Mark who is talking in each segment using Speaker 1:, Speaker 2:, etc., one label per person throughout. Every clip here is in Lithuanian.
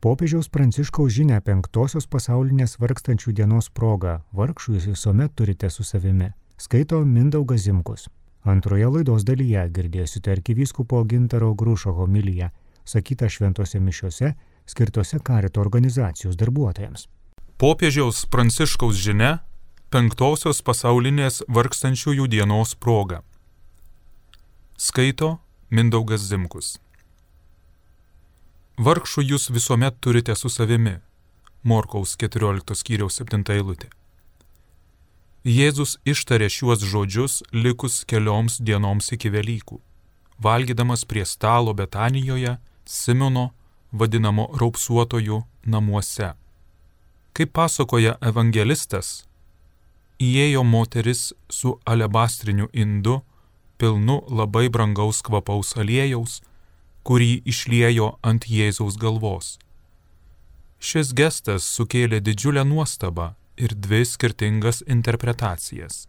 Speaker 1: Popiežiaus Pranciškaus žinią 5-osios pasaulinės vargstančių dienos proga vargšų jūs visuomet turite su savimi. Skaito Mindaugas Zimkus. Antroje laidos dalyje girdėsite arkivyskupo Gintaro Grušo homiliją, sakytą šventose mišiose, skirtose Karito organizacijos darbuotojams.
Speaker 2: Popiežiaus Pranciškaus žinia 5-osios pasaulinės vargstančiųjų dienos proga. Skaito Mindaugas Zimkus. Vargšų jūs visuomet turite su savimi. Morkaus 14 skyriaus 7 eilutė. Jėzus ištarė šiuos žodžius likus kelioms dienoms iki Velykų, valgydamas prie stalo Betanijoje, Simono, vadinamo raupsuotojų namuose. Kaip pasakoja evangelistas, įėjo moteris su alebastriniu indu, pilnu labai brangaus kvapaus aliejaus, kurį išliejo ant Jėzaus galvos. Šis gestas sukėlė didžiulę nuostabą ir 2 skirtingas interpretacijas.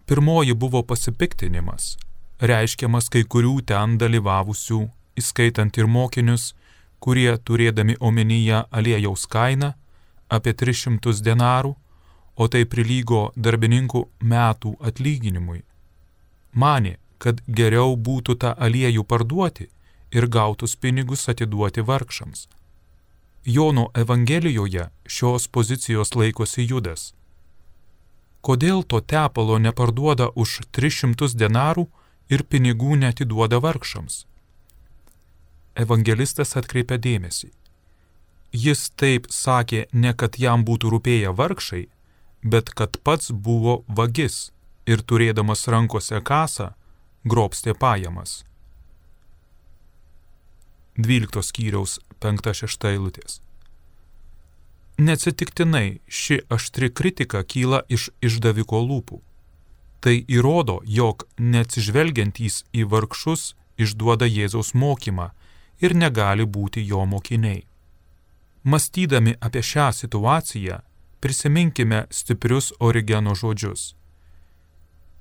Speaker 2: Pirmoji buvo pasipiktinimas, reiškiamas kai kurių ten dalyvavusių, įskaitant ir mokinius, kurie turėdami omenyje aliejaus kainą apie 300 denarų, o tai prilygo darbininkų metų atlyginimui, manė, kad geriau būtų tą aliejų parduoti ir gautus pinigus atiduoti vargšams. Jono Evangelijoje šios pozicijos laikosi Judas. Kodėl to tepalo neparduoda už 300 denarų ir pinigų neatiduoda vargšams? Evangelistas atkreipia dėmesį. Jis taip sakė ne kad jam būtų rūpėję vargšai, bet kad pats buvo vagis ir turėdamas rankose kasą, grobstė pajamas. 12 skyriaus 5-6 eilutės. Neatsitiktinai ši aštri kritika kyla iš išdaviko lūpų. Tai įrodo, jog neatsižvelgiantys į vargšus išduoda Jėzaus mokymą ir negali būti jo mokiniai. Mąstydami apie šią situaciją, prisiminkime stiprius Origeno žodžius.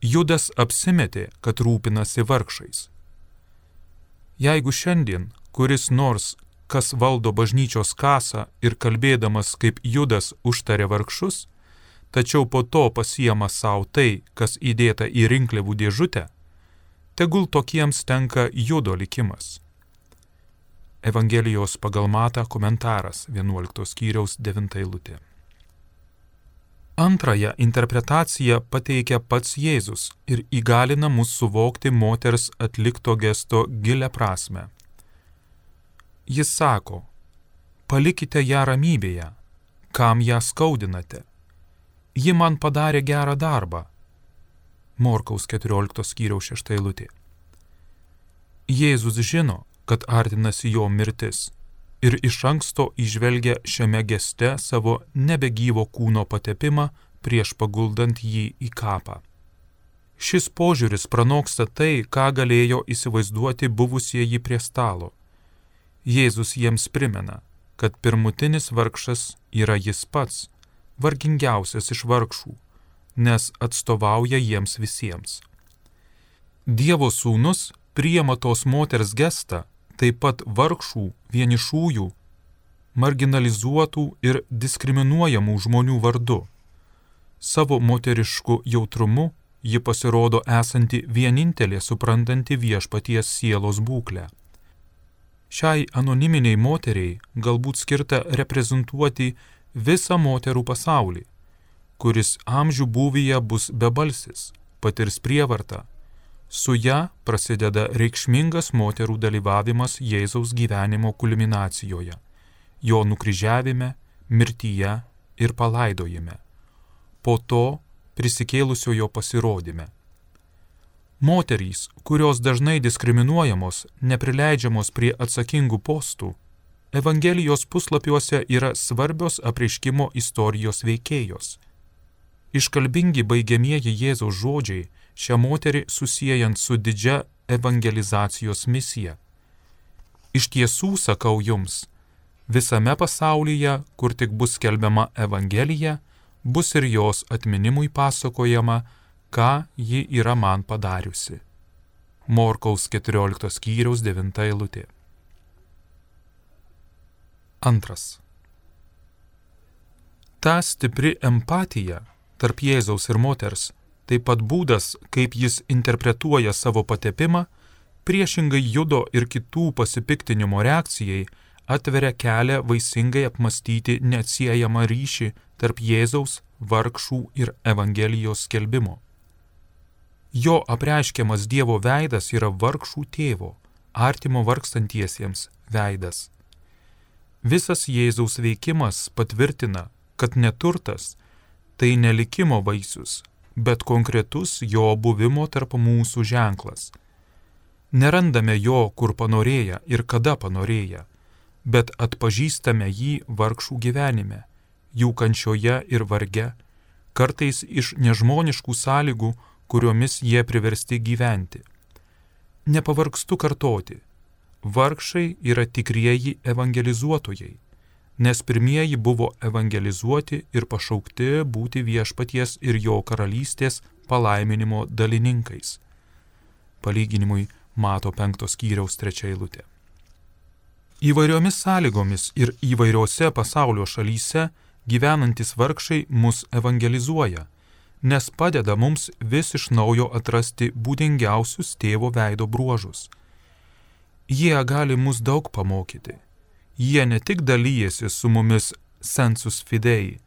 Speaker 2: Judas apsimetė, kad rūpinasi vargšais. Jeigu šiandien kuris nors, kas valdo bažnyčios kasą ir kalbėdamas kaip Judas užtarė vargšus, tačiau po to pasiema savo tai, kas įdėta į rinkliavų dėžutę, tegul tokiems tenka Judo likimas. Evangelijos pagal Matą komentaras 11 skyriaus 9 eilutė. Antrąją interpretaciją pateikia pats Jėzus ir įgalina mus suvokti moters atlikto gesto gilią prasmę. Jis sako, palikite ją ramybėje, kam ją skaudinate. Ji man padarė gerą darbą. Morkaus 14 skyriaus 6 eilutė. Jėzus žino, kad artinasi jo mirtis ir iš anksto įžvelgia šiame geste savo nebegyvo kūno patepimą prieš paguldant jį į kapą. Šis požiūris pranoksta tai, ką galėjo įsivaizduoti buvusieji prie stalo. Jėzus jiems primena, kad pirmutinis vargšas yra jis pats, vargingiausias iš vargšų, nes atstovauja jiems visiems. Dievo sūnus priima tos moters gestą, taip pat vargšų, vienišųjų, marginalizuotų ir diskriminuojamų žmonių vardu. Savo moterišku jautrumu ji pasirodo esanti vienintelė suprantanti viešpaties sielos būklę. Šiai anoniminiai moteriai galbūt skirta reprezentuoti visą moterų pasaulį, kuris amžių būvyje bus bebalsis, patirs prievartą. Su ja prasideda reikšmingas moterų dalyvavimas Jėzaus gyvenimo kulminacijoje, jo nukryžiavime, mirtyje ir palaidojime, po to prisikėlusiojo pasirodyme. Moterys, kurios dažnai diskriminuojamos, neprileidžiamos prie atsakingų postų, Evangelijos puslapiuose yra svarbios apreiškimo istorijos veikėjos. Iškalbingi baigiamieji Jėzaus žodžiai šią moterį susiejant su didžia evangelizacijos misija. Iš tiesų sakau jums, visame pasaulyje, kur tik bus skelbiama Evangelija, bus ir jos atminimui pasakojama, ką ji yra man padariusi. Morkaus 14 skyriaus 9 eilutė. Antras. Ta stipri empatija tarp Jėzaus ir moters, taip pat būdas, kaip jis interpretuoja savo patepimą, priešingai judo ir kitų pasipiktinimo reakcijai, atveria kelią vaisingai apmastyti neatsiejamą ryšį tarp Jėzaus, vargšų ir Evangelijos skelbimo. Jo apreiškiamas Dievo veidas yra vargšų tėvo, artimo vargstantiesiems veidas. Visas Jėzaus veikimas patvirtina, kad neturtas tai ne likimo vaisius, bet konkretus jo buvimo tarp mūsų ženklas. Nerandame jo, kur panorėję ir kada panorėję, bet atpažįstame jį vargšų gyvenime, jų kančioje ir varge, kartais iš nežmoniškų sąlygų, kuriomis jie priversti gyventi. Nepavargstu kartoti, vargšai yra tikrieji evangelizuotojai, nes pirmieji buvo evangelizuoti ir pašaukti būti viešpaties ir jo karalystės palaiminimo dalininkais. Palyginimui Mato 5 skyriaus 3 eilutė. Įvairiomis sąlygomis ir įvairiose pasaulio šalyse gyvenantis vargšai mus evangelizuoja, nes padeda mums vis iš naujo atrasti būdingiausius tėvo veido bruožus. Jie gali mus daug pamokyti. Jie ne tik dalyjasi su mumis sensus fidei,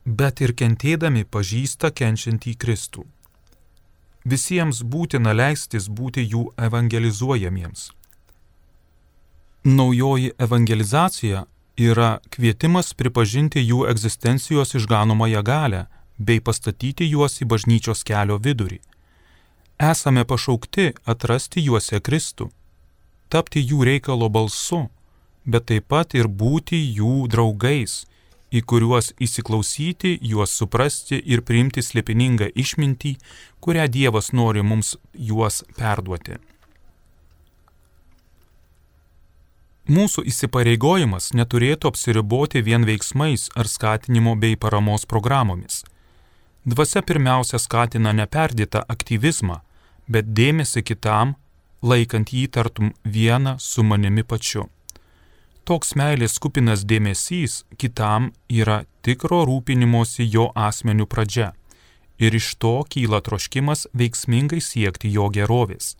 Speaker 2: bet ir kentėdami pažįsta kenčiantį Kristų. Visiems būtina leistis būti jų evangelizuojamiems. Naujoji evangelizacija yra kvietimas pripažinti jų egzistencijos išganomąją galią bei pastatyti juos į bažnyčios kelio vidurį. Esame pašaukti atrasti juose Kristų, tapti jų reikalo balsu, bet taip pat ir būti jų draugais, į kuriuos įsiklausyti, juos suprasti ir priimti slėpiningą išmintį, kurią Dievas nori mums juos perduoti. Mūsų įsipareigojimas neturėtų apsiriboti vien veiksmais ar skatinimo bei paramos programomis. Dvasia pirmiausia skatina neperdėtą aktyvizmą, bet dėmesį kitam, laikant jį tartum vieną su manimi pačiu. Toks meilės kupinas dėmesys kitam yra tikro rūpinimosi jo asmeniu pradžia ir iš to kyla troškimas veiksmingai siekti jo gerovės.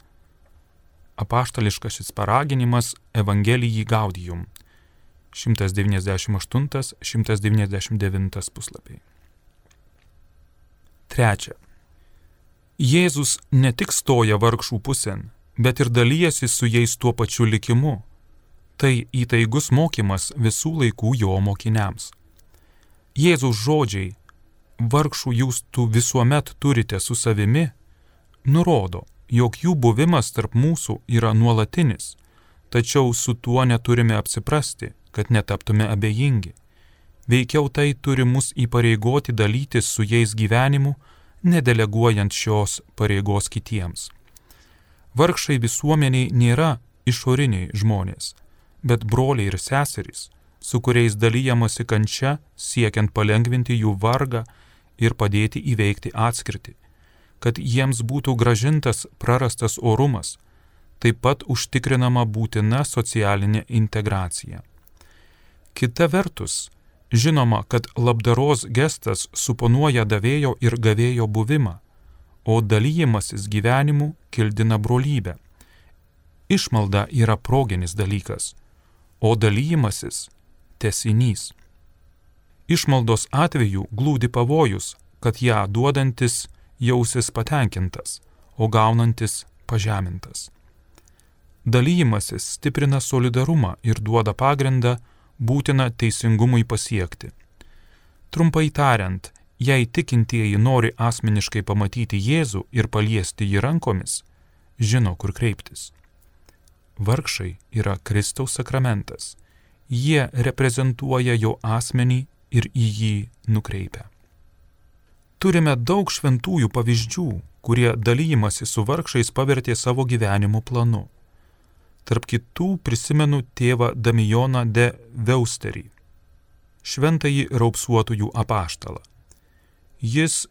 Speaker 2: Apaštališkasis paraginimas Evangelijai Gaudium 198-199 puslapiai. Trečia. Jėzus ne tik stoja vargšų pusėn, bet ir dalyjasi su jais tuo pačiu likimu. Tai įtaigus mokymas visų laikų jo mokiniams. Jėzaus žodžiai, vargšų jūs tu visuomet turite su savimi, nurodo, jog jų buvimas tarp mūsų yra nuolatinis, tačiau su tuo neturime apsiprasti, kad netaptume abejingi. Veikiau tai turi mus įpareigoti dalytis su jais gyvenimu, nedeleguojant šios pareigos kitiems. Vargšai visuomeniai nėra išoriniai žmonės, bet broliai ir seserys, su kuriais dalyjamasi kančia, siekiant palengvinti jų vargą ir padėti įveikti atskirtį, kad jiems būtų grąžintas prarastas orumas, taip pat užtikrinama būtina socialinė integracija. Kita vertus, žinoma, kad labdaros gestas suponuoja davėjo ir gavėjo buvimą, o dalyjimasis gyvenimu kildina brolybę. Išmalda yra proginis dalykas, o dalyjimasis tęsinys. Išmaldos atveju glūdi pavojus, kad ją duodantis jausis patenkintas, o gaunantis pažemintas. Dalyjimasis stiprina solidarumą ir duoda pagrindą būtiną teisingumui pasiekti. Trumpai tariant, jei tikintieji nori asmeniškai pamatyti Jėzų ir paliesti jį rankomis, žino, kur kreiptis. Vargšai yra Kristaus sakramentas. Jie reprezentuoja jo asmenį ir į jį nukreipia. Turime daug šventųjų pavyzdžių, kurie dalyjimasi su vargšais pavertė savo gyvenimo planu. Tarp kitų prisimenu tėvą Damijoną de Veusterį, šventąjį raupsuotųjų apaštalą. Jis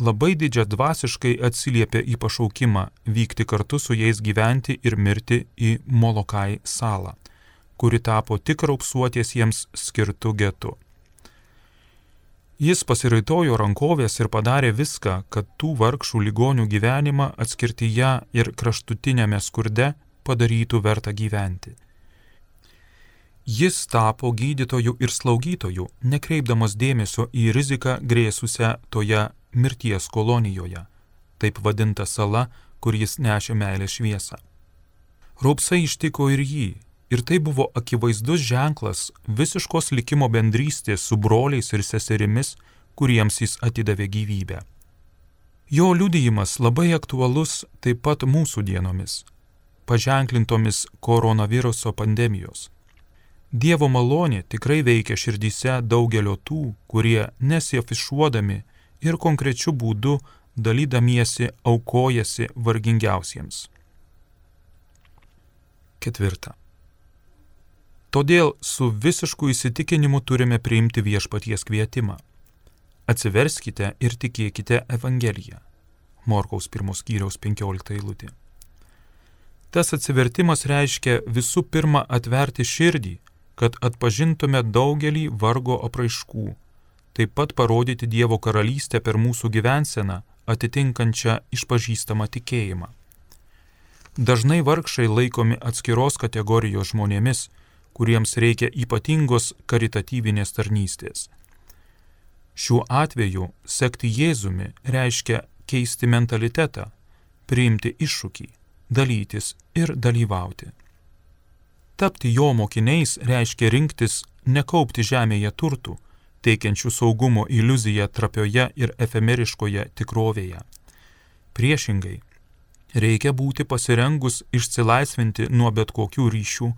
Speaker 2: labai didžiadvasiškai atsiliepė į pašaukimą vykti kartu su jais gyventi ir mirti į Molokai salą, kuri tapo tik raupsuotiesiems skirtu getu. Jis pasiraitojo rankovės ir padarė viską, kad tų vargšų ligonių gyvenimą atskirtyje ir kraštutinėme skurde padarytų vertą gyventi. Jis tapo gydytoju ir slaugytoju, nekreipdamas dėmesio į riziką grėsusią toje mirties kolonijoje, taip vadinta sala, kur jis nešė meilės šviesą. Raupsai ištiko ir jį, ir tai buvo akivaizdus ženklas visiškos likimo bendrystės su broliais ir seserimis, kuriems jis atidavė gyvybę. Jo liudijimas labai aktualus taip pat mūsų dienomis, paženklintomis koronaviruso pandemijos. Dievo malonė tikrai veikia širdyse daugelio tų, kurie nesiafišuodami ir konkrečiu būdu dalydamiesi aukojasi vargingiausiems. 4. Todėl su visišku įsitikinimu turime priimti viešpaties kvietimą. Atsiverskite ir tikėkite Evangeliją. Morkaus 1 skyriaus 15 eilutė. Tas atsivertimas reiškia visų pirma atverti širdį, kad atpažintume daugelį vargo apraiškų, taip pat parodyti Dievo karalystę per mūsų gyvenseną, atitinkančią išpažįstamą tikėjimą. Dažnai vargšai laikomi atskiros kategorijos žmonėmis, kuriems reikia ypatingos karitatyvinės tarnystės. Šiuo atveju sekti Jėzumi reiškia keisti mentalitetą, priimti iššūkį, dalytis ir dalyvauti. Tapti jo mokiniais reiškia rinktis nekaupti žemėje turtų, teikiančių saugumo iliuziją trapioje ir efemeriškoje tikrovėje. Priešingai, reikia būti pasirengus išsilaisvinti nuo bet kokių ryšių,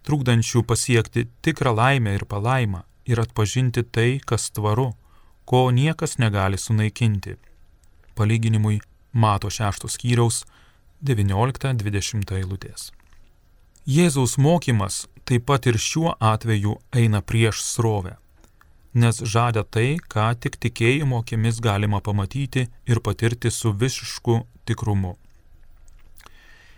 Speaker 2: trukdančių pasiekti tikrą laimę ir palaimą ir atpažinti tai, kas tvaru, ko niekas negali sunaikinti. Palyginimui Mato 6 skyriaus 19-20 eilutės. Jėzaus mokymas taip pat ir šiuo atveju eina prieš srovę, nes žada tai, ką tik tikėjimo akimis galima pamatyti ir patirti su visišku tikrumu.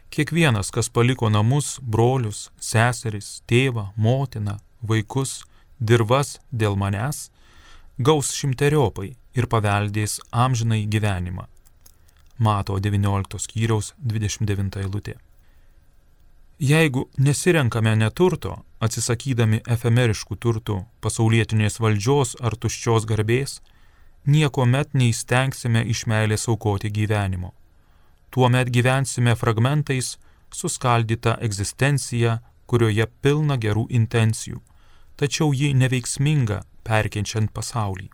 Speaker 2: Kiekvienas, kas paliko namus, brolius, seseris, tėvą, motiną, vaikus, dirvas dėl manęs, gaus šimteriopai ir paveldės amžinai gyvenimą. Mato 19 skyriaus 29 eilutė. Jeigu nesirenkame neturto, atsisakydami efemeriškų turtų, pasaulietinės valdžios ar tuščios garbės, niekuomet neįstengsime iš meilės aukoti gyvenimo. Tuomet gyvensime fragmentais, suskaldyta egzistencija, kurioje pilna gerų intencijų, tačiau ji neveiksminga, perkenčiant pasaulį.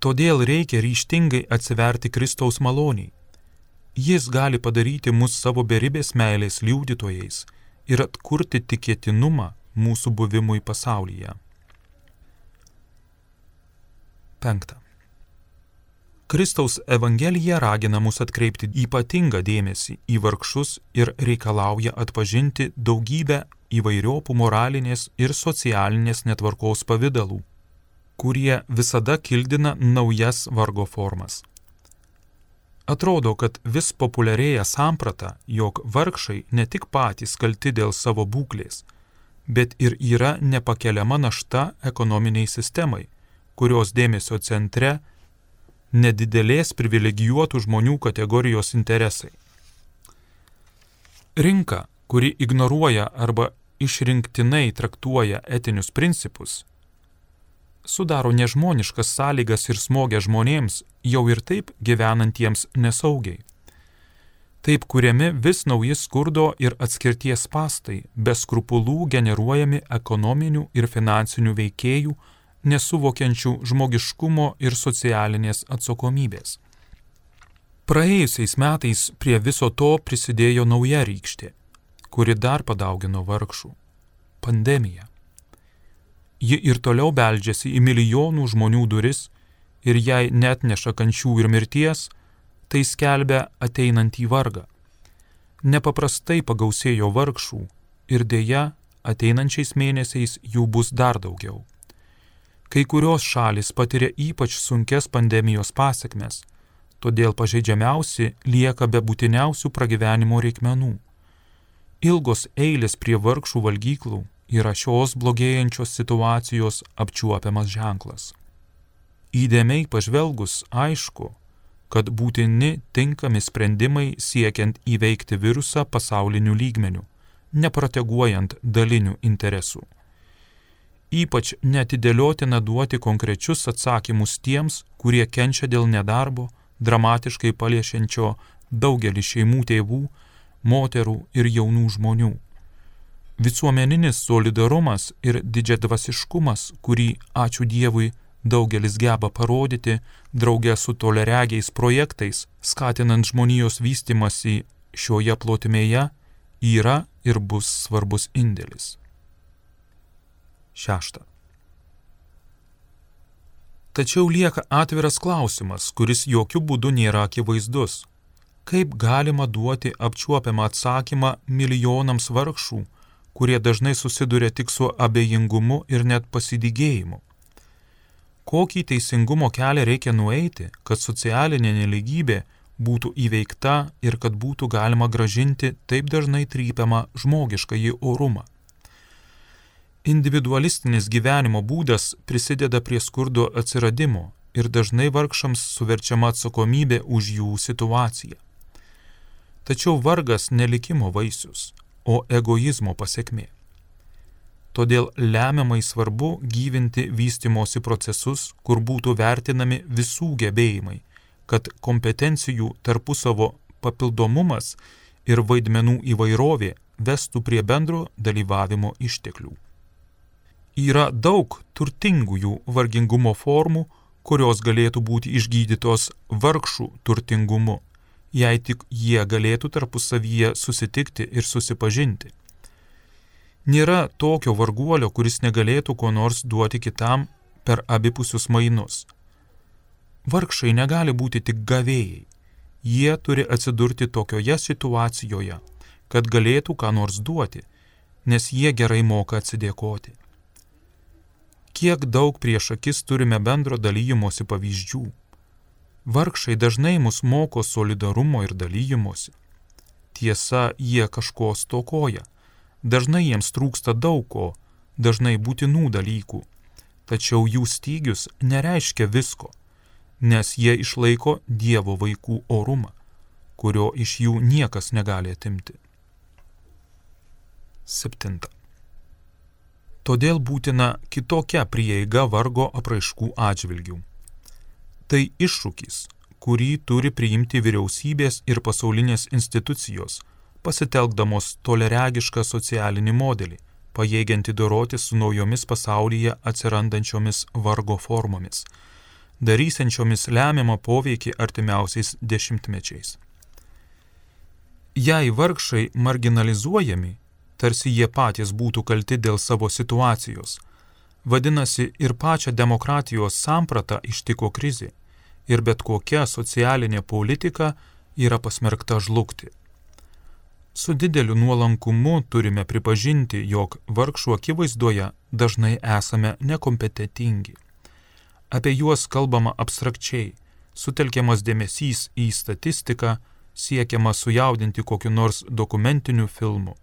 Speaker 2: Todėl reikia ryžtingai atsiverti Kristaus maloniai. Jis gali padaryti mus savo beribės meilės liudytojais ir atkurti tikėtinumą mūsų buvimui pasaulyje. 5. Kristaus Evangelija ragina mus atkreipti ypatingą dėmesį į vargšus ir reikalauja atpažinti daugybę įvairiopų moralinės ir socialinės netvarkos pavidalų, kurie visada kildina naujas vargo formas. Atrodo, kad vis populiarėja samprata, jog vargšai ne tik patys kalti dėl savo būklės, bet ir yra nepakeliama našta ekonominiai sistemai, kurios dėmesio centre nedidelės privilegijuotų žmonių kategorijos interesai. Rinka, kuri ignoruoja arba išrinktinai traktuoja etinius principus, sudaro nežmoniškas sąlygas ir smogia žmonėms, jau ir taip gyvenantiems nesaugiai. Taip kuriami vis nauji skurdo ir atskirties spastai, be skrupulų generuojami ekonominių ir finansinių veikėjų, nesuvokiančių žmogiškumo ir socialinės atsakomybės. Praėjusiais metais prie viso to prisidėjo nauja rykštė, kuri dar padaugino vargšų – pandemija. Ji ir toliau beldžiasi į milijonų žmonių duris ir jei neatneša kančių ir mirties, tai skelbia ateinantį vargą. Nepaprastai pagausėjo vargšų ir dėja ateinančiais mėnesiais jų bus dar daugiau. Kai kurios šalys patiria ypač sunkes pandemijos pasekmes, todėl pažeidžiamiausi lieka be būtiniausių pragyvenimo reikmenų. Ilgos eilės prie vargšų valgyklų yra šios blogėjančios situacijos apčiuopiamas ženklas. Įdėmiai pažvelgus aišku, kad būtini tinkami sprendimai siekiant įveikti virusą pasauliniu lygmeniu, neproteguojant dalinių interesų. Ypač neatidėliotina duoti konkrečius atsakymus tiems, kurie kenčia dėl nedarbo, dramatiškai paliečiančio daugelį šeimų tėvų, moterų ir jaunų žmonių. Visuomeninis solidarumas ir didžiadvasiškumas, kurį, ačiū Dievui, daugelis geba parodyti drauge su toleregiais projektais, skatinant žmonijos vystymasi šioje plotmėje, yra ir bus svarbus indėlis. 6. Tačiau lieka atviras klausimas, kuris jokių būdų nėra akivaizdus. Kaip galima duoti apčiuopiamą atsakymą milijonams vargšų, kurie dažnai susiduria tik su abejingumu ir net pasidygėjimu? Kokį teisingumo kelią reikia nueiti, kad socialinė nelygybė būtų įveikta ir kad būtų galima grąžinti taip dažnai trypiamą žmogiškąjį orumą? Individualistinis gyvenimo būdas prisideda prie skurdo atsiradimo ir dažnai vargšams suverčiama atsakomybė už jų situaciją. Tačiau vargas ne likimo vaisius, o egoizmo pasekmė. Todėl lemiamai svarbu gyvinti vystymosi procesus, kur būtų vertinami visų gebėjimai, kad kompetencijų tarpusavo papildomumas ir vaidmenų įvairovė vestų prie bendro dalyvavimo išteklių. Yra daug turtingųjų vargingumo formų, kurios galėtų būti išgydytos vargšų turtingumu, jei tik jie galėtų tarpusavyje susitikti ir susipažinti. Nėra tokio varguolio, kuris negalėtų ko nors duoti kitam per abipusius mainus. Vargšai negali būti tik gavėjai. Jie turi atsidurti tokioje situacijoje, kad galėtų ką nors duoti, nes jie gerai moka atsidėkoti. Kiek daug prieš akis turime bendro dalyjimosi pavyzdžių. Vargšai dažnai mus moko solidarumo ir dalyjimosi. Tiesa, jie kažko stokoja. Dažnai jiems trūksta daug ko, dažnai būtinų dalykų. Tačiau jų stygius nereiškia visko, nes jie išlaiko Dievo vaikų orumą, kurio iš jų niekas negali atimti. 7. Todėl būtina kitokia prieiga vargo apraiškų atžvilgių. Tai iššūkis, kurį turi priimti vyriausybės ir pasaulinės institucijos, pasitelkdamos toleregišką socialinį modelį, pajėgianti doroti su naujomis pasaulyje atsirandančiomis vargo formomis, darysiančiomis lemiamą poveikį artimiausiais dešimtmečiais. Jei vargšai marginalizuojami, tarsi jie patys būtų kalti dėl savo situacijos. Vadinasi, ir pačią demokratijos sampratą ištiko krizė, ir bet kokia socialinė politika yra pasmerkta žlugti. Su dideliu nuolankumu turime pripažinti, jog vargšų akivaizdoje dažnai esame nekompetentingi. Apie juos kalbama abstrakčiai, sutelkiamas dėmesys į statistiką, siekiama sujaudinti kokiu nors dokumentiniu filmu.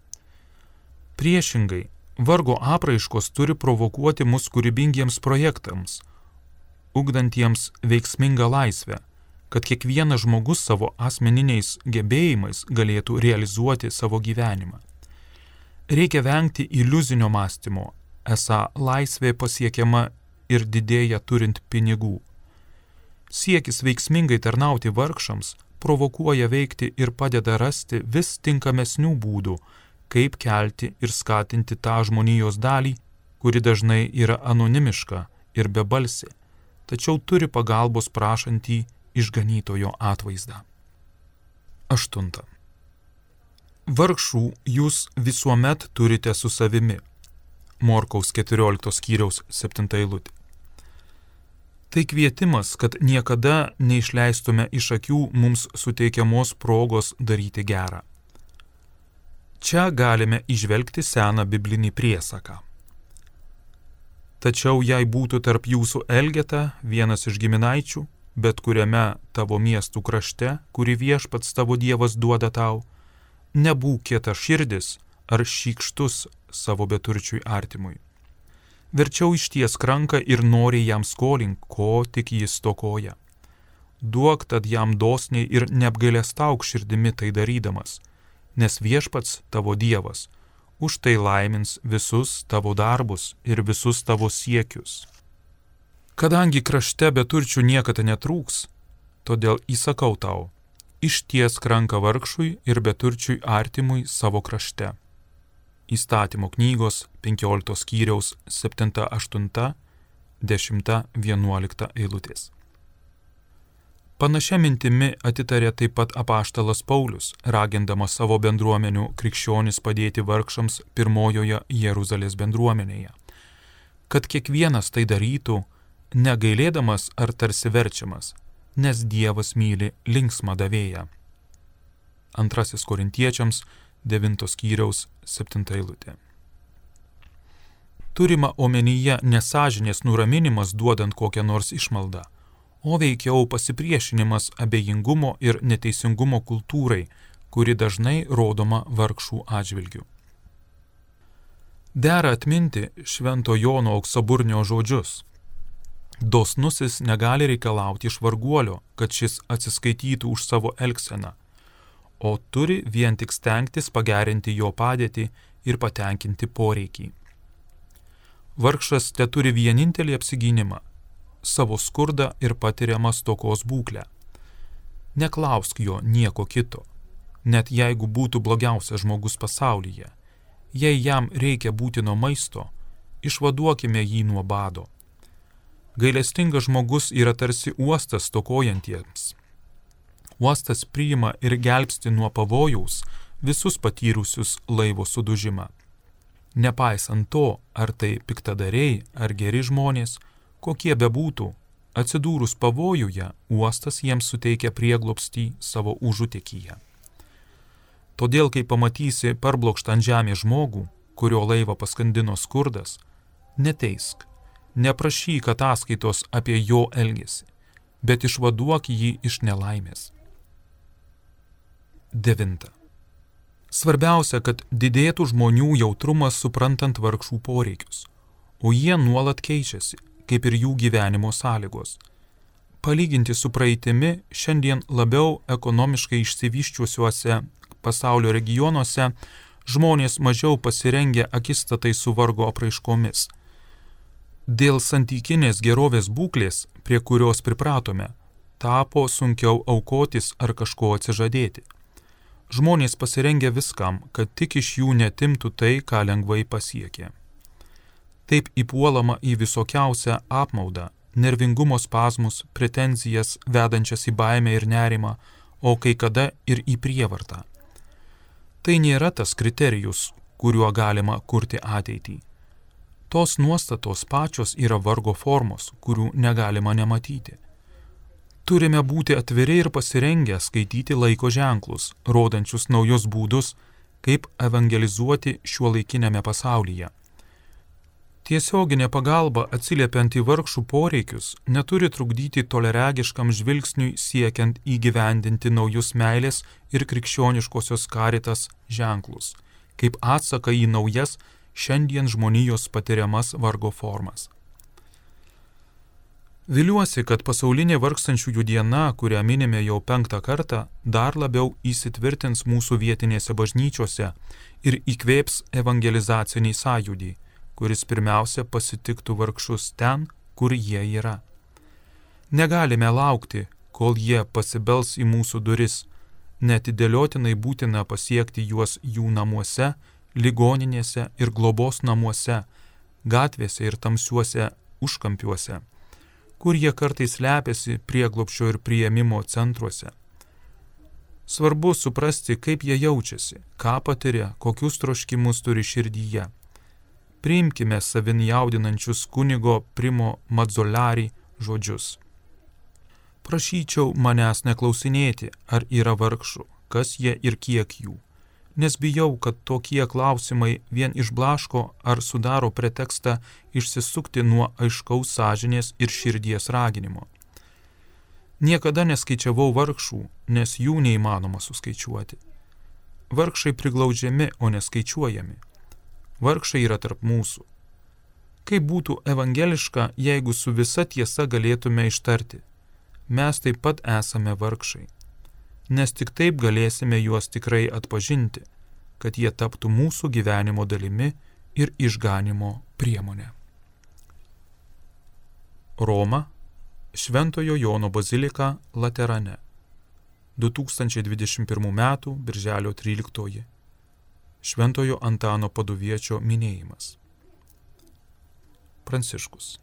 Speaker 2: Priešingai, vargo apraiškos turi provokuoti mus kūrybingiems projektams, ugdantiems veiksmingą laisvę, kad kiekvienas žmogus savo asmeniniais gebėjimais galėtų realizuoti savo gyvenimą. Reikia vengti iliuzinio mąstymo, esą laisvė pasiekiama ir didėja turint pinigų. Siekis veiksmingai tarnauti vargšams provokuoja veikti ir padeda rasti vis tinkamesnių būdų, kaip kelti ir skatinti tą žmonijos dalį, kuri dažnai yra anonimiška ir bebalsė, tačiau turi pagalbos prašantį išganytojo atvaizdą. 8. Vargšų jūs visuomet turite su savimi. Morkaus 14 skyriaus 7 eilutė. Tai kvietimas, kad niekada neišleistume iš akių mums suteikiamos progos daryti gerą. Čia galime įžvelgti seną biblinį priesaką. Tačiau jei būtų tarp jūsų Elgeta vienas iš giminaičių, bet kuriame tavo miestų krašte, kurį viešpats tavo Dievas duoda tau, nebūk kietaširdis, ar šykštus savo beturčiui artimui. Verčiau išties ranką ir noriai jam skolink, ko tik jis stokoja. Duok tad jam dosniai ir neapgailestauk širdimi tai darydamas, nes Viešpats tavo Dievas už tai laimins visus tavo darbus ir visus tavo siekius. Kadangi krašte beturčių niekada netrūks, todėl įsakau tau, ištiesk ranką vargšui ir beturčiui artimui savo krašte. Įstatymo knygos 15 skyriaus 7, 8, 10, 11 eilutės. Panašia mintimi atitarė taip pat apaštalas Paulius, ragindamas savo bendruomenių krikščionis padėti vargšams pirmojoje Jeruzalės bendruomenėje, kad kiekvienas tai darytų, negailėdamas ar tarsi verčiamas, nes Dievas myli linksmą davėją. 2 Korintiečiams 9 skyriaus 7 eilutė. Turima omenyje nesąžinės nuraminimas duodant kokią nors išmaldą, o veikiau pasipriešinimas abejingumo ir neteisingumo kultūrai, kuri dažnai rodoma vargšų atžvilgių. Dera atminti Švento Jono Auksaburnio žodžius. Dosnusis negali reikalauti iš varguolio, kad šis atsiskaitytų už savo elgseną, o turi vien tik stengtis pagerinti jo padėtį ir patenkinti poreikį. Vargšas teturi vienintelį apsigynimą – savo skurdą ir patiriamą stokos būklę. Neklausk jo nieko kito, net jeigu būtų blogiausias žmogus pasaulyje. Jei jam reikia būtino maisto, išvaduokime jį nuo bado. Gailestingas žmogus yra tarsi uostas stokojantiems. Uostas priima ir gelbsti nuo pavojaus visus patyrusius laivo sudužimą. Nepaisant to, ar tai piktadariai ar geri žmonės, kokie bebūtų, atsidūrus pavojuje, uostas jiems suteikia prieglobstį savo užutekyje. Todėl, kai pamatysi parblokštą ant žemės žmogų, kurio laivą paskandino skurdas, neteisk, neprašyk ataskaitos apie jo elgesį, bet išvaduok jį iš nelaimės. 9. Svarbiausia, kad didėtų žmonių jautrumas suprantant vargšų poreikius, o jie nuolat keičiasi, kaip ir jų gyvenimo sąlygos. Palyginti su praeitimi, šiandien labiau ekonomiškai išsivyščiusiuose pasaulio regionuose žmonės mažiau pasirengę akistatai su vargo apraiškomis. Dėl santykinės gerovės būklės, prie kurios pripratome, tapo sunkiau aukotis ar kažko atsižadėti. Žmonės pasirengę viskam, kad tik iš jų netimtų tai, ką lengvai pasiekė. Taip įpuolama į visokiausią apmaudą, nervingumo spazmus, pretenzijas, vedančias į baimę ir nerimą, o kai kada ir į prievartą. Tai nėra tas kriterijus, kuriuo galima kurti ateitį. Tos nuostatos pačios yra vargo formos, kurių negalima nematyti. Turime būti atviri ir pasirengę skaityti laiko ženklus, rodančius naujus būdus, kaip evangelizuoti šiuolaikinėme pasaulyje. Tiesioginė pagalba atsiliepiant į vargšų poreikius neturi trukdyti toleregiškam žvilgsniui siekiant įgyvendinti naujus meilės ir krikščioniškosios karitas ženklus, kaip atsaką į naujas šiandien žmonijos patiriamas vargo formas. Viliuosi, kad pasaulinė vargstančiųjų diena, kurią minime jau 5. kartą, dar labiau įsitvirtins mūsų vietinėse bažnyčiose ir įkvėps evangelizacinį sąjūdį, kuris pirmiausia pasitiktų vargšus ten, kur jie yra. Negalime laukti, kol jie pasibels į mūsų duris, neatidėliotinai būtina pasiekti juos jų namuose, ligoninėse ir globos namuose, gatvėse ir tamsiuose užkampiuose, kur jie kartais slepiasi prieglobsčio ir priėmimo centruose. Svarbu suprasti, kaip jie jaučiasi, ką patiria, kokius troškimus turi širdyje. Priimkime savin jaudinančius kunigo Primo Mazzolari žodžius. Prašyčiau manęs neklausinėti, ar yra vargšų, kas jie ir kiek jų, nes bijau, kad tokie klausimai vien išblaško ar sudaro pretekstą išsisukti nuo aiškaus sąžinės ir širdies raginimo. Niekada neskaičiavau vargšų, nes jų neįmanoma suskaičiuoti. Vargšai priglaudžiami, o neskaičiuojami. Vargšai yra tarp mūsų. Kaip būtų evangeliška, jeigu su visa tiesa galėtume ištarti: mes taip pat esame vargšai, nes tik taip galėsime juos tikrai atpažinti, kad jie taptų mūsų gyvenimo dalimi ir išganimo priemonė. Roma, Šventojo Jono bazilika Laterane, 2021 m. birželio 13. Šventojo Antano Paduviečio minėjimas. Pranciškus.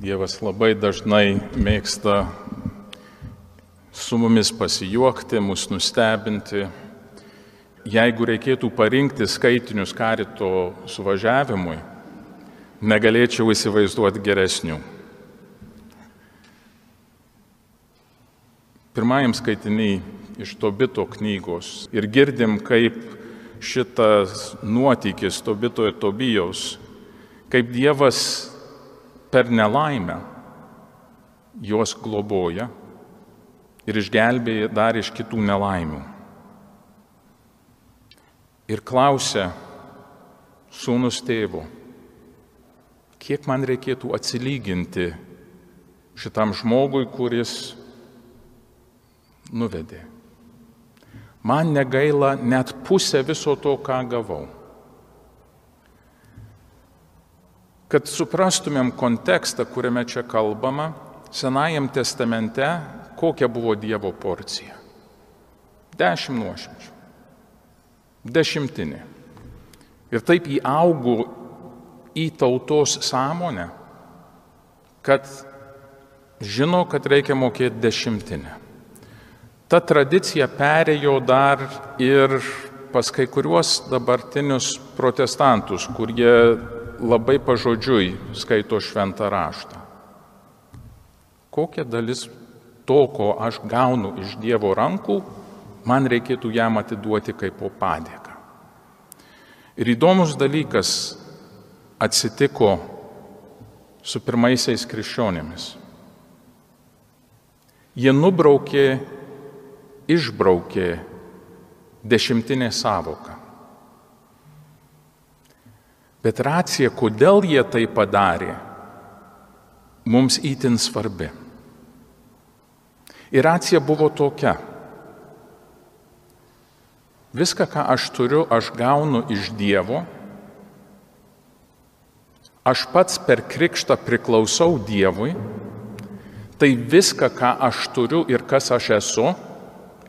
Speaker 3: Dievas labai dažnai mėgsta su mumis pasijuokti, mus nustebinti. Jeigu reikėtų parinkti skaitinius karito suvažiavimui, negalėčiau įsivaizduoti geresnių. Pirmajam skaitiniai iš Tobito knygos ir girdim, kaip šitas nuotykis Tobito ir Tobijaus, kaip Dievas per nelaimę juos globoja ir išgelbėja dar iš kitų nelaimių. Ir klausia sūnus tėvo: kiek man reikėtų atsilyginti šitam žmogui, kuris nuvedė. Man negaila net pusę viso to, ką gavau. Kad suprastumėm kontekstą, kuriame čia kalbama, Senajam testamente kokia buvo Dievo porcija. 10 nuošimčių. 10. Ir taip įaugo į tautos sąmonę, kad žino, kad reikia mokėti 10. Ta tradicija perėjo dar ir pas kai kuriuos dabartinius protestantus, kurie labai pažodžiui skaito šventą raštą. Kokia dalis to, ko aš gaunu iš Dievo rankų, man reikėtų jam atiduoti kaip po padėką. Ir įdomus dalykas atsitiko su pirmaisiais krikščionimis. Jie išbraukė 10 sąvoką. Bet racija, kodėl jie tai padarė, mums itin svarbi. Ir racija buvo tokia: viską, ką aš turiu, aš gaunu iš Dievo, aš pats per krikštą priklausau Dievui, tai viską, ką aš turiu ir kas aš esu,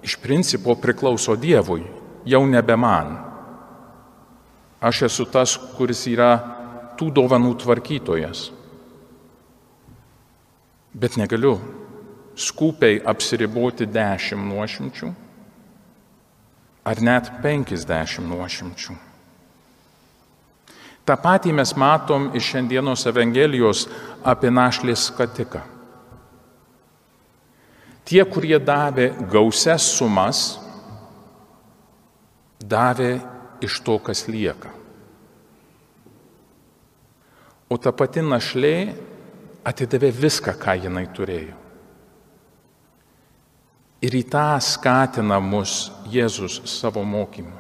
Speaker 3: iš principo priklauso Dievui, jau nebe man. Aš esu tas, kuris yra tų dovanų tvarkytojas. Bet negaliu skupiai apsiriboti 10 nuošimčių ar net 50 nuošimčių. Ta patį mes matom iš šiandienos Evangelijos apie našlės skatiką. Tie, kurie davė gausias sumas, davė iš to, kas lieka. O ta pati našlė atidavė viską, ką jinai turėjo. Ir į tą skatina mus Jėzus savo mokymu.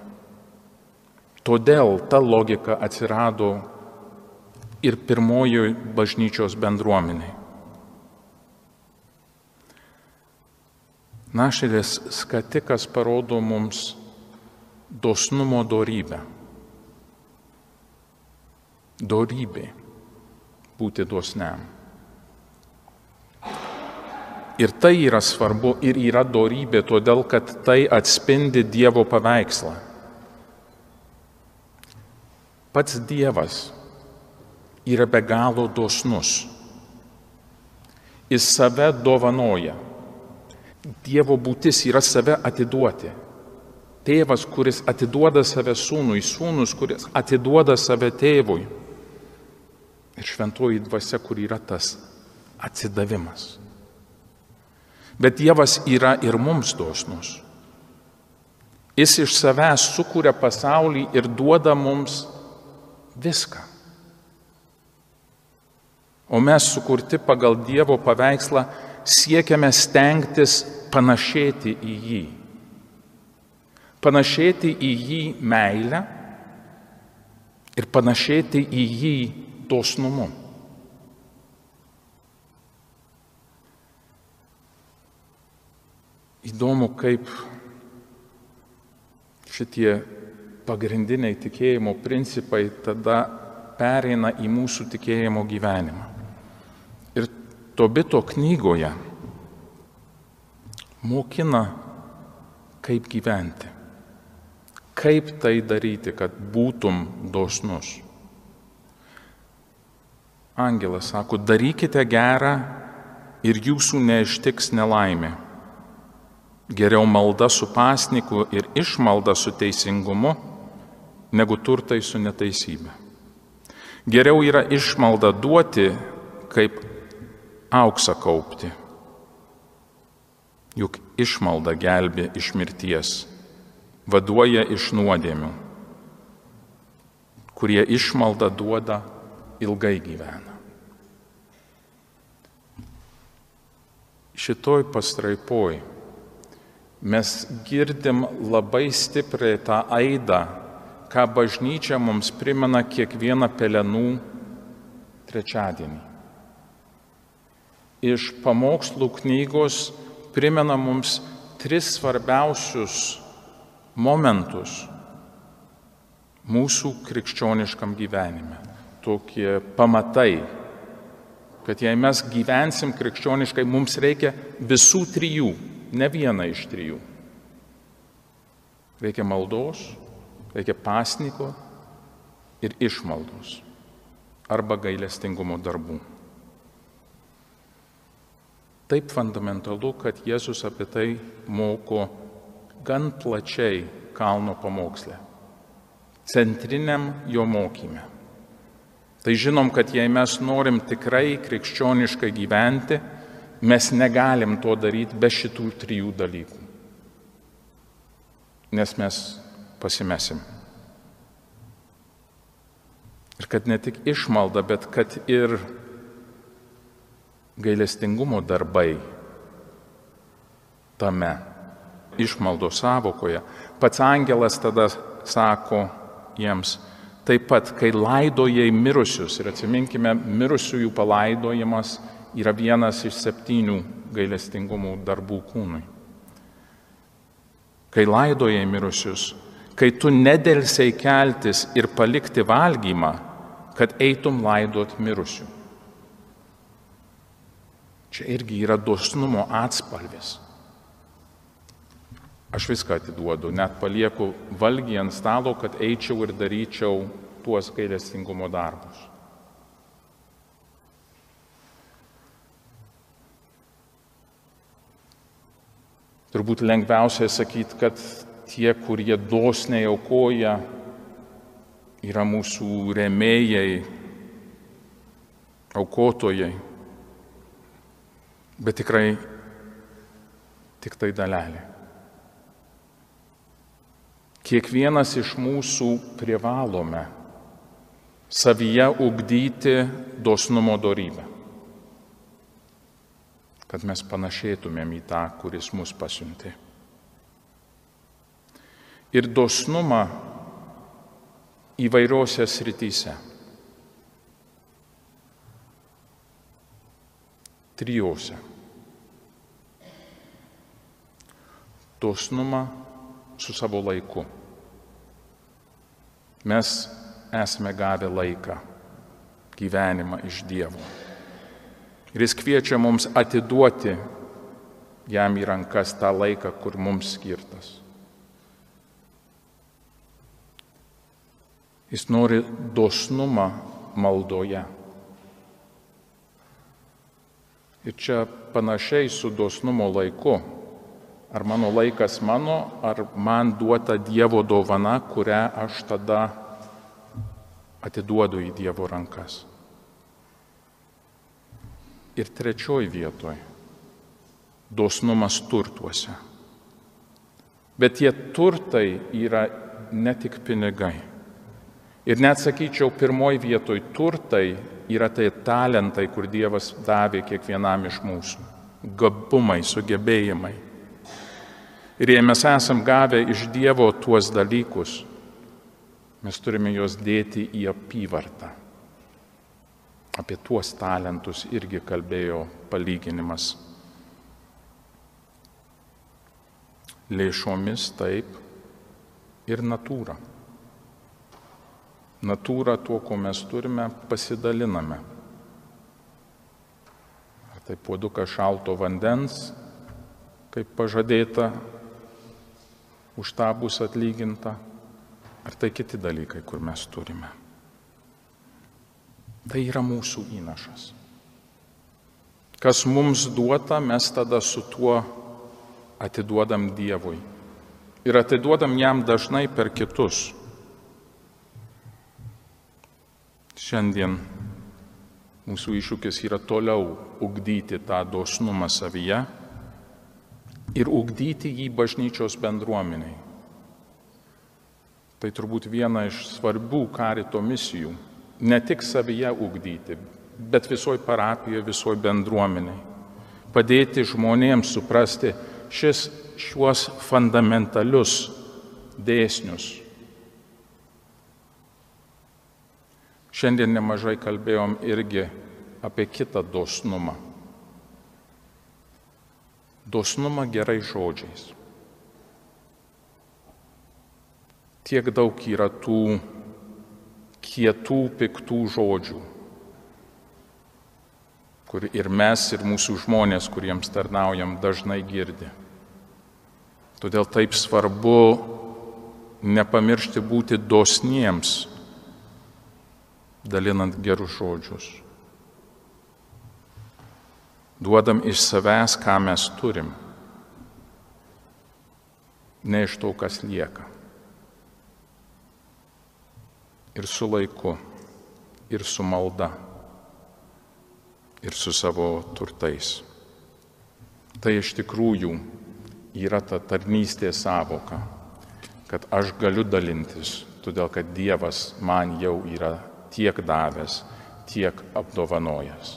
Speaker 3: Todėl ta logika atsirado ir pirmojoje bažnyčios bendruomeniai. Našlės skatikas parodo mums dosnumo dorybę. Dorybė būti dosniam. Ir tai yra svarbu ir yra dorybė, todėl kad tai atspindi Dievo paveikslą. Pats Dievas yra be galo dosnus. Jis save dovanoja. Dievo būtis yra save atiduoti. Tėvas, kuris atiduoda save sūnui, sūnus, kuris atiduoda save tėvui. Ir šventoji dvasia, kur yra tas atsidavimas. Bet Dievas yra ir mums dosnus. Jis iš savęs sukuria pasaulį ir duoda mums viską. O mes sukurti pagal Dievo paveikslą siekiame stengtis panašėti į jį. Panašėti į jį meilę ir panašėti į jį dosnumu. Įdomu, kaip šitie pagrindiniai tikėjimo principai tada pereina į mūsų tikėjimo gyvenimą. Ir Tobito knygoje mokina, kaip gyventi, kaip tai daryti, kad būtum dosnus. Angelas sako, darykite gerą ir jūsų neištiks nelaimė. Geriau malda su pasniku ir išmalda su teisingumu, negu turtai su neteisybė. Geriau yra išmalda duoti, kaip auksą kaupti. Juk išmalda gelbė iš mirties, vaduoja iš nuodėmių. Kurie išmalda duoda, ilgai gyvena. Šitoj pastraipoj mes girdim labai stipriai tą aidą, ką bažnyčia mums primena kiekvieną pelenų trečiadienį. Iš pamokslų knygos primena mums 3 svarbiausius momentus mūsų krikščioniškam gyvenime. Tokie pamatai, kad jei mes gyvensim krikščioniškai, mums reikia visų 3, ne vieną iš 3. Reikia maldos, reikia pasniko ir išmaldos arba gailestingumo darbų. Taip fundamentalu, kad Jėzus apie tai moko gan plačiai kalno pamoksle, centriniam jo mokyme. Tai žinom, kad jei mes norim tikrai krikščioniškai gyventi, mes negalim to daryti be šitų 3 dalykų, nes mes pasimesim. Ir kad ne tik išmalda, bet kad ir gailestingumo darbai tame išmaldo sąvokoje. Pats angelas tada sako jiems, taip pat, kai laidojai mirusius, ir atsiminkime, mirusiųjų palaidojimas yra vienas iš 7 gailestingumo darbų kūnui. Kai laidojai mirusius, kai tu nedelsiai keltis ir palikti valgymą, kad eitum laidot mirusių. Čia irgi yra dosnumo atspalvis. Aš viską atiduodu, net palieku valgį ant stalo, kad eičiau ir daryčiau tuos gailestingumo darbus. Turbūt lengviausia sakyti, kad tie, kurie dosniai aukoja, yra mūsų rėmėjai, aukotojai. Bet tikrai tik tai dalelė. Kiekvienas iš mūsų privalome savyje ugdyti dosnumo dorybę, kad mes panašėtumėm į tą, kuris mus pasiuntė. Ir dosnumą įvairiose srityse. 3. Dosnumą su savo laiku. Mes esame gavę laiką, gyvenimą iš Dievo. Ir Jis kviečia mums atiduoti jam į rankas tą laiką, kur mums skirtas. Jis nori dosnumą maldoje. Ir čia panašiai su dosnumo laiku. Ar mano laikas mano, ar man duota Dievo dovana, kurią aš tada atiduodu į Dievo rankas. Ir 3 vietoj - dosnumas turtuose. Bet tie turtai yra ne tik pinigai. Ir net sakyčiau, 1 vietoj turtai yra tai talentai, kur Dievas davė kiekvienam iš mūsų. Gabumai, sugebėjimai. Ir jei mes esam gavę iš Dievo tuos dalykus, mes turime juos dėti į apyvartą. Apie tuos talentus irgi kalbėjo palyginimas. Lėšomis taip ir natūra. Natūra tuo, ko mes turime, pasidaliname. Ar tai puodukas šalto vandens, kaip pažadėta, už tą bus atlyginta, ar tai kiti dalykai, kur mes turime. Tai yra mūsų įnašas. Kas mums duota, mes tada su tuo atiduodam Dievui. Ir atiduodam jam dažnai per kitus. Šiandien mūsų iššūkis yra toliau ugdyti tą dosnumą savyje ir ugdyti jį bažnyčios bendruomeniai. Tai turbūt viena iš svarbių karito misijų. Ne tik savyje ugdyti, bet visoj parapijoje, visoj bendruomeniai. Padėti žmonėms suprasti šiuos fundamentalius dėsnius. Šiandien nemažai kalbėjom irgi apie kitą dosnumą. Dosnumą gerais žodžiais. Tiek daug yra tų kietų, piktų žodžių, kur ir mes, ir mūsų žmonės, kuriems tarnaujam, dažnai girdi. Todėl taip svarbu nepamiršti būti dosniems, dalinant gerus žodžius. Duodam iš savęs, ką mes turim, ne iš to, kas lieka. Ir su laiku, ir su malda, ir su savo turtais. Tai iš tikrųjų yra ta tarnystės sąvoka, kad aš galiu dalintis, todėl kad Dievas man jau yra tiek davęs, tiek apdovanojęs.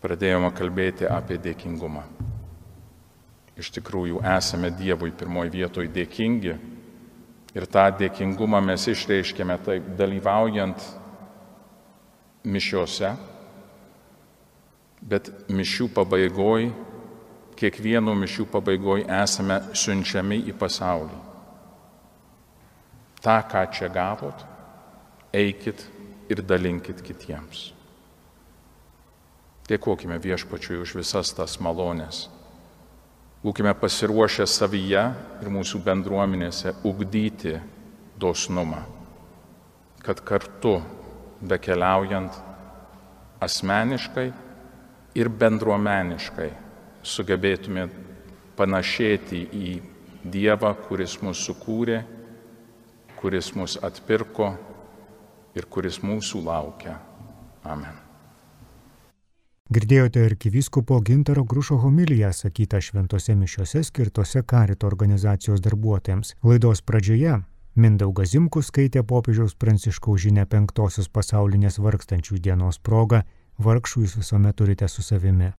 Speaker 3: Pradėjome kalbėti apie dėkingumą. Iš tikrųjų esame Dievui pirmoje vietoje dėkingi ir tą dėkingumą mes išreiškėme taip dalyvaujant mišiose, bet mišių pabaigoj, kiekvieno mišių pabaigoj esame siunčiami į pasaulį. Ta, ką čia gavot, eikit ir dalinkit kitiems. Dėkokime Viešpačiui už visas tas malonės. Būkime pasiruošę savyje ir mūsų bendruomenėse ugdyti dosnumą, kad kartu bekeliaujant asmeniškai ir bendruomeniškai sugebėtume panašėti į Dievą, kuris mus sukūrė, kuris mus atpirko ir kuris mūsų laukia. Amen.
Speaker 1: Girdėjote arkivyskupo Gintaro Grušo homiliją sakytą šventose mišiose skirtose karito organizacijos darbuotojams. Laidos pradžioje Mindaugas Zimkus skaitė popiežiaus Pranciškaus žinią 5-osios pasaulinės vargstančių dienos proga, vargšų jūs visuomet turite su savimi.